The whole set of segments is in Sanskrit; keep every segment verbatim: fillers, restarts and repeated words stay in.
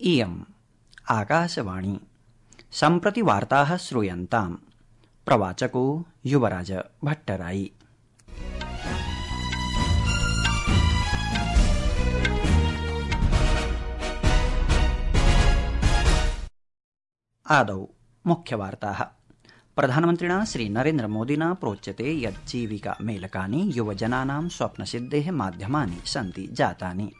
इयम् आकाशवाणी। सम्प्रति वार्ताः श्रूयन्ताम्। प्रवाचको युवराज भट्टराई। आदौ मुख्यवार्ताः। प्रधानमन्त्रिणा श्री नरेन्द्र मोदिना प्रोच्यते यत् जीविका मेलकानि युवजनानां स्वप्नसिद्धेः माध्यमानि सन्ति जातानि।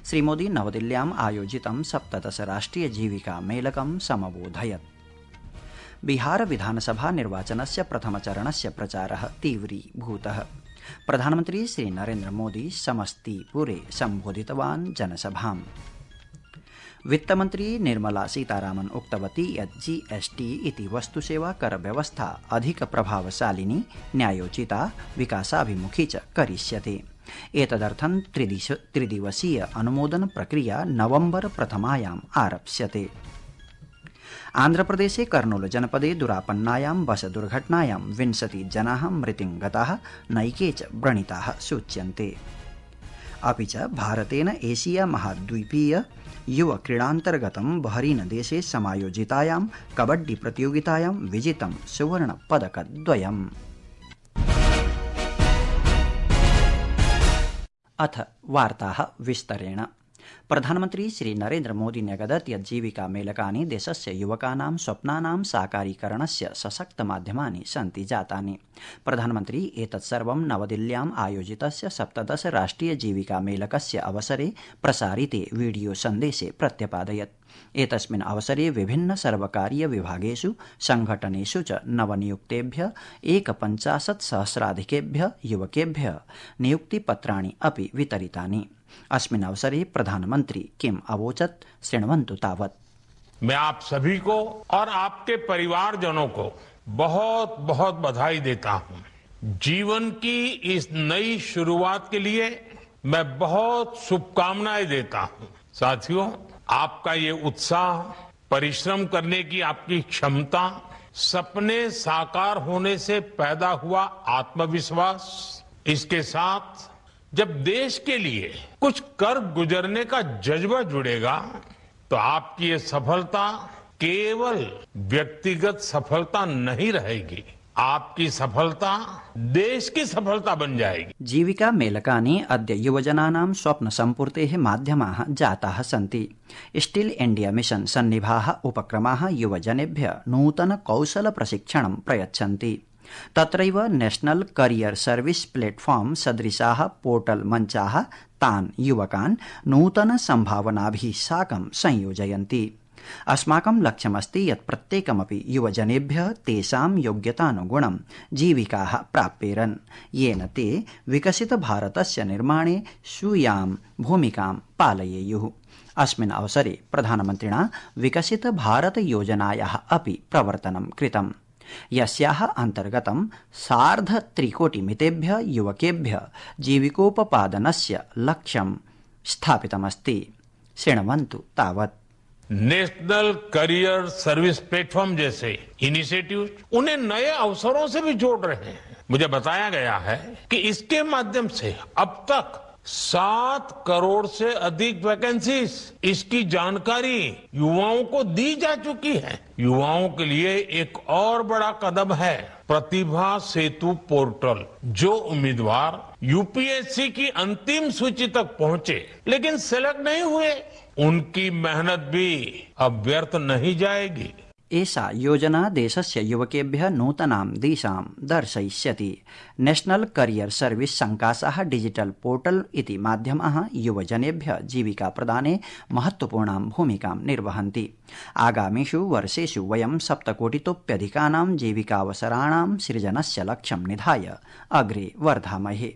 श्रीमोदी नवदिल्ल्याम् आयोजितं सप्तदश राष्ट्रिय जीविका मेलकं समबोधयत्। बिहार विधानसभा निर्वाचनस्य प्रथमचरणस्य प्रचारः तीव्रीभूतः। प्रधानमन्त्री श्री नरेन्द्र मोदी समस्तीपुरे सम्बोधितवान् जनसभाम्। वित्तमन्त्री निर्मला सीतारामन् उक्तवती यत् जीएसटी इति वस्तुसेवा कर व्यवस्था अधिक प्रभावशालिनी, न्यायोचिता, विकासाभिमुखी च करिष्यते। एतदर्थं त्रिदिवसीय अनुमोदन प्रक्रिया नवम्बर प्रथमायाम् आरप्स्यते। आन्ध्रप्रदेशे कर्नूल जनपदे दुरापन्नायां बस दुर्घटनायां विंशति जनाः मृतिं गताः, नैके च व्रणिताः सूच्यन्ते। अपि च भारतेन एशिया महाद्वीपीय युव क्रीडान्तर्गतं बहरीन देशे समायोजितायां कबड्डी प्रतियोगितायां विजितं सुवर्ण पदकद्वयम्। अथ वार्ताः विस्तरेण। प्रधानमन्त्री श्री नरेन्द्र मोदी न्यगदत् यत् जीविका मेलकानि देशस्य युवकानां स्वप्नानां साकारीकरणस्य सशक्त माध्यमानि सन्ति जातानि। प्रधानमन्त्री एतत्सर्वं नवदिल्ल्याम् आयोजितस्य सप्तदश राष्ट्रिय जीविका मेलकस्य अवसरे प्रसारिते वीडियो सन्देशे प्रत्यपादयत्। एतस्मिन् अवसरे विभिन्न सर्वकारीय विभागेषु संघटनेषु च नवनियुक्तेभ्य एकपञ्चाशत् सहस्राधिकेभ्य युवकेभ्य नियुक्तिपत्राणि अपि वितरितानि। अस्मिन् अवसरे प्रधानमन्त्री किम् अवोचत्, शृण्वन्तु तावत्। मैं आप सभी को और आपके परिवारजनों को बहुत बहुत बधाई देता हूं। जीवन की इस नई शुरुआत के लिए मैं बहुत शुभकामनाएं देता हूं। साथियों, आपका ये उत्साह, परिश्रम करने की आपकी क्षमता, सपने साकार होने से पैदा हुआ आत्मविश्वास, इसके साथ जब देश के लिए कुछ कर गुजरने का जज्बा जुड़ेगा तो आपकी ये सफलता केवल व्यक्तिगत सफलता नहीं रहेगी, आपकी सफलता देश की सफलता बन जाएगी। जीविका मेलकानि अद्य युवजनानां स्वप्न सम्पूर्तेः माध्यमाः जाताः सन्ति। स्टिल इंडिया मिशन सन्निभाः उपक्रमाः युवजनेभ्यः नूतन कौशल प्रशिक्षणं प्रयच्छन्ति। तत्रैव नेशनल करियर सर्विस प्लेटफॉर्म सदृशाः पोर्टल मञ्चाः तान् युवकान् नूतन सम्भावनाभिः साकं संयोजयन्ति। अस्माकं लक्ष्यमस्ति यत् प्रत्येकमपि युवजनेभ्यः तेषां योग्यतानुगुणं जीविकाः प्राप्येरन्, येन ते विकसित भारतस्य निर्माणे स्वीयां भूमिकां पालयेयुः। अस्मिन् अवसरे प्रधानमन्त्रिणा विकसित भारत योजनायाः अपि प्रवर्तनं कृतम्, यस्याः अन्तर्गतं सार्धत्रिकोटिमितेभ्यः युवकेभ्यः जीविकोपपादनस्य लक्ष्यं स्थापितमस्ति। शृण्वन्तु तावत्। नेशनल करियर सर्विस प्लेटफॉर्म जैसे इनिशिएटिव उन्हें नए अवसरों से भी जोड़ रहे हैं। मुझे बताया गया है कि इसके माध्यम से अब तक सात करोड़ से अधिक वैकेंसीज, इसकी जानकारी युवाओं को दी जा चुकी है। युवाओं के लिए एक और बड़ा कदम है प्रतिभा सेतु पोर्टल। जो उम्मीदवार यूपीएससी की अंतिम सूची तक पहुंचे लेकिन सेलेक्ट नहीं हुए, उनकी मेहनत भी अब व्यर्थ नहीं जाएगी। एषा योजना देशस्य युवकेभ्यः नूतनां दिशां दर्शयिष्यति। नेशनल करियर सर्विस संकाशाः डिजिटल पोर्टल इति माध्यमाः युवजनेभ्यः जीविका प्रदाने महत्वपूर्णां भूमिकां निर्वहन्ति। आगामिषु वर्षेषु वयं सप्तकोटितोप्यधिकानां जीविकावसराणां सृजनस्य लक्ष्यं निधाय अग्रे वर्धामहे।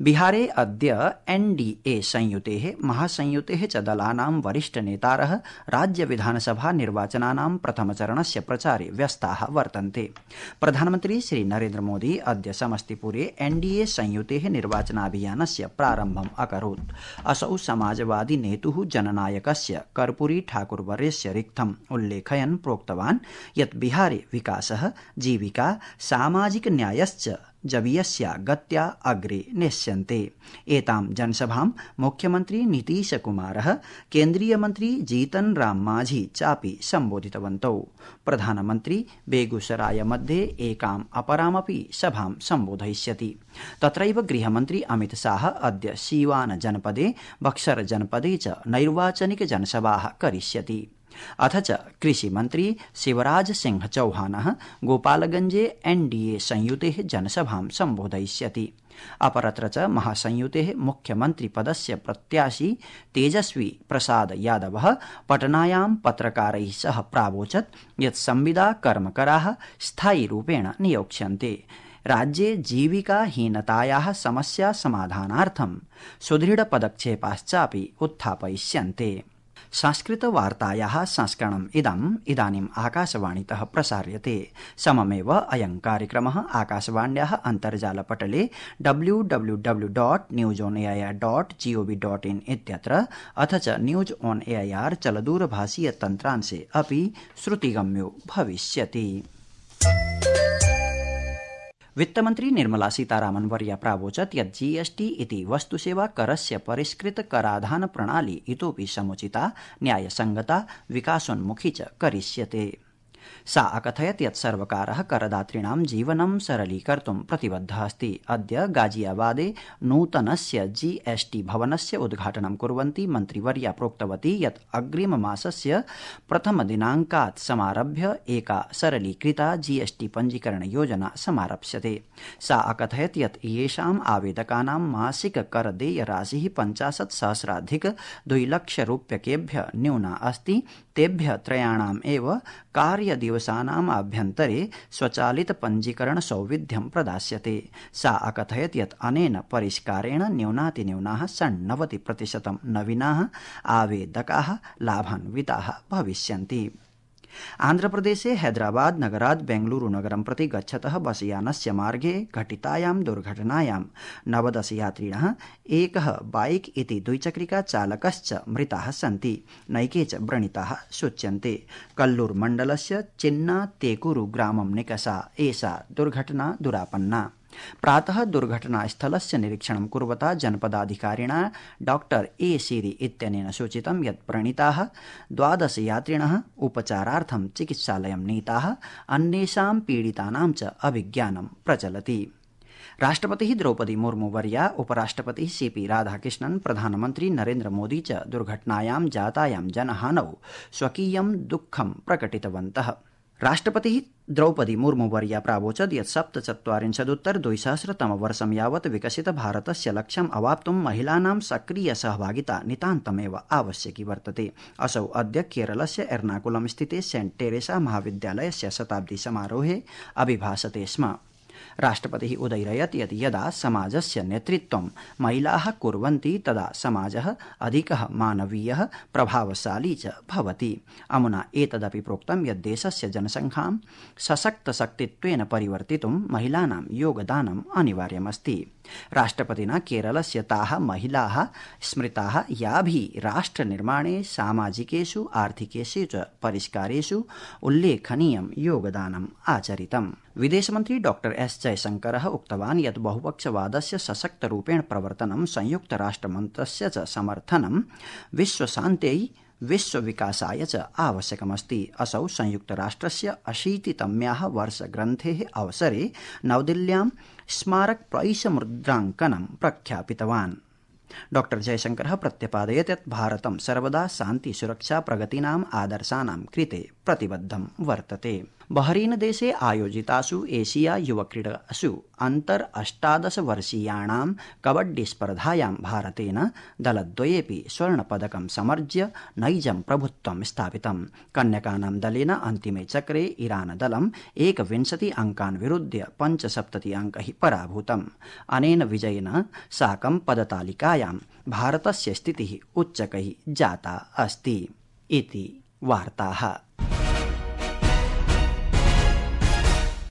बिहारे अद्य एनडीए संयुतेः महासंयुतेः च दलानां वरिष्ठ नेतारः राज्य विधानसभा निर्वाचनानां प्रथमचरणस्य प्रचारे व्यस्ताः वर्तन्ते। प्रधानमन्त्री श्री नरेन्द्र मोदी अद्य समस्तीपुरे एनडीए संयुतेः निर्वाचनाभियानस्य प्रारम्भम् अकरोत्। असौ समाजवादी नेतुः जननायकस्य कर्पूरी ठाकुरवर्यस्य रिक्थम् उल्लेखयन् प्रोक्तवान् यत् बिहारे विकासः, जीविका, सामाजिक न्यायश्च जवीयस्या गत्या अग्रे नेष्यन्ते। एतां जनसभां मुख्यमन्त्री नीतीशकुमारः, केन्द्रीय मन्त्री जीतन राम मांझी चापि सम्बोधितवन्तौ। प्रधानमन्त्री बेगूसराय मध्ये एकाम् अपरामपि सभां सम्बोधयिष्यति। तत्रैव गृहमन्त्री अमित शाह अद्य सीवान जनपदे, बक्सर जनपदे च नैर्वाचनिक जनसभाः करिष्यति। अथ च कृषिमन्त्री शिवराज सिंह चौहानः गोपालगंजे एनडीए संयुतेः जनसभां सम्बोधयिष्यति। अपरत्र च महासंयुतेः मुख्यमन्त्री पदस्य प्रत्याशी तेजस्वी प्रसाद यादवः पटनायां पत्रकारैः सह प्रावोचत् यत् संविदा कर्मकराः स्थायिरूपेण नियोक्ष्यन्ते। राज्ये जीविकाहीनतायाः समस्या समाधानार्थं सुदृढपदक्षेपाश्चापि उत्थापयिष्यन्ते। संस्कृतवार्तायाः संस्करणम् इदम् इदानीम् आकाशवाणीतः प्रसार्यते। सममेव अयं कार्यक्रमः आकाशवाण्याः अन्तर्जालपटले W W W dot news on A I R dot GOV dot in इत्यत्र अथ च news on A I R चलदूरभाषीय तन्त्रांशे अपि श्रुतिगम्यो भविष्यति। वित्तमन्त्री निर्मला सीतारामन वर्या प्रावोचत् यत् जीएसटी इति वस्तुसेवा करस्य परिष्कृत कराधान प्रणाली इतोपि समुचिता, न्यायसंगता, विकासोन्मुखी च करिष्यते। सा अकथयत् यत् सर्वकारः करदातॄणां जीवनं सरलीकर्तुं प्रतिबद्धः अस्ति। अद्य गाजियाबादे नूतनस्य जीएसटी भवनस्य उद्घाटनं कुर्वन्ती मन्त्रिवर्या प्रोक्तवती यत् अग्रिममासस्य प्रथमदिनाङ्कात् समारभ्य एका सरलीकृता जीएसटी पञ्जीकरण योजना समारप्स्यते। सा अकथयत् यत् येषाम् आवेदकानां मासिक करदेयराशिः पञ्चाशत् सहस्राधिक द्विलक्षरूप्यकेभ्य न्यूना अस्ति, तेभ्य त्रयाणाम् एव कार्यदिवसानाम् आभ्यन्तरे स्वचालित पञ्जीकरण सौविध्यं प्रदास्यते। सा अकथयत् यत् अनेन परिष्कारेण न्यूनातिन्यूनाः षण्णवति प्रतिशतं नवीनाः आवेदकाः लाभान्विताः भविष्यन्ति। आन्ध्रप्रदेशे हैदराबाद नगरात् बेंगलुरू नगरं प्रति गच्छतः बसयानस्य मार्गे घटितायां दुर्घटनायां नवदश यात्रिणः, एकः बाइक इति द्विचक्रिका चालकश्च मृताः सन्ति, नैके च व्रणिताः सूच्यन्ते। कल्लूर मण्डलस्य चिन्ना तेकुरु ग्रामं निकषा एषा दुर्घटना दुरापन्ना। प्रातः दुर्घटनास्थलस्य निरीक्षणं कुर्वता जनपदाधिकारिणा डॉक्टर ए सीरी इत्यनेन सूचितं यत् व्रणिताः द्वादश यात्रिणः उपचारार्थं चिकित्सालयं नीताः, अन्येषां पीडितानां च अभिज्ञानं प्रचलति। राष्ट्रपतिः द्रौपदी मुर्मू वर्या, उपराष्ट्रपतिः सीपी राधाकृष्णन्, प्रधानमन्त्री नरेन्द्र मोदी च दुर्घटनायां जातायां जनहानौ स्वकीयं दुःखं प्रकटितवन्तः। राष्ट्रपतिः द्रौपदी मुर्मू वर्या प्रावोचत् यत् सप्तचत्वारिंशदुत्तर द्विसहस्रतमवर्षं यावत् विकसित भारतस्य लक्ष्यम् अवाप्तुं महिलानां सक्रिय सहभागिता नितान्तमेव आवश्यकी वर्तते। असौ अद्य केरलस्य एर्नाकुलम स्थिते सेंट टेरेसा महाविद्यालयस्य शताब्दी समारोहे अभिभाषते स्म। राष्ट्रपतिः उदयिरयत् यत् यदा समाजस्य नेतृत्वं महिलाः कुर्वन्ति तदा समाजः अधिकः मानवीयः, प्रभावशाली च भवति। अमुना एतदपि प्रोक्तं यत् देशस्य जनसङ्ख्यां सशक्तशक्तित्वेन परिवर्तितुं महिलानां योगदानम् अनिवार्यमस्ति। राष्ट्रपतिना केरलस्य ताः महिलाः स्मृताः याभिः राष्ट्रनिर्माणे, सामाजिकेषु आर्थिकेषु च परिष्कारेषु उल्लेखनीयं योगदानम् आचरितम्। विदेशमन्त्री डॉक्टर एस जयशंकरः उक्तवान् यत् बहुपक्षवादस्य सशक्तरूपेण प्रवर्तनं, संयुक्तराष्ट्रमन्त्रस्य च समर्थनं विश्वशान्त्यै, विश्वविकासाय च आवश्यकमस्ति। असौ संयुक्तराष्ट्रस्य अशीतितम्याः वर्षग्रन्थेः अवसरे नवदिल्ल्यां स्मारकप्रैषमुद्राङ्कनं प्रख्यापितवान्। डॉक्टर जयशंकरः प्रत्यपादयत् यत् भारतं सर्वदा शान्ति, सुरक्षा, प्रगतीनाम् आदर्शानां कृते प्रतिबद्धं वर्तते। बहरीन देशे आयोजितासु एशिया युवक्रीडासु अन्तर अष्टादश वर्षीयाणां कबड्डी स्पर्धायां भारतेन दलद्वयेपि स्वर्णपदकं समर्ज्य नैजं प्रभुत्वं स्थापितम्। कन्यकानां दलेन अन्तिमे चक्रे ईरान दलम् एकविंशति अंकान् विरुध्य पञ्चसप्तति अंकैः पराभूतम्। अनेन विजयेन साकं पदतालिकायां भारतस्य स्थितिः उच्चकैः जाता अस्ति। इति वार्ताः।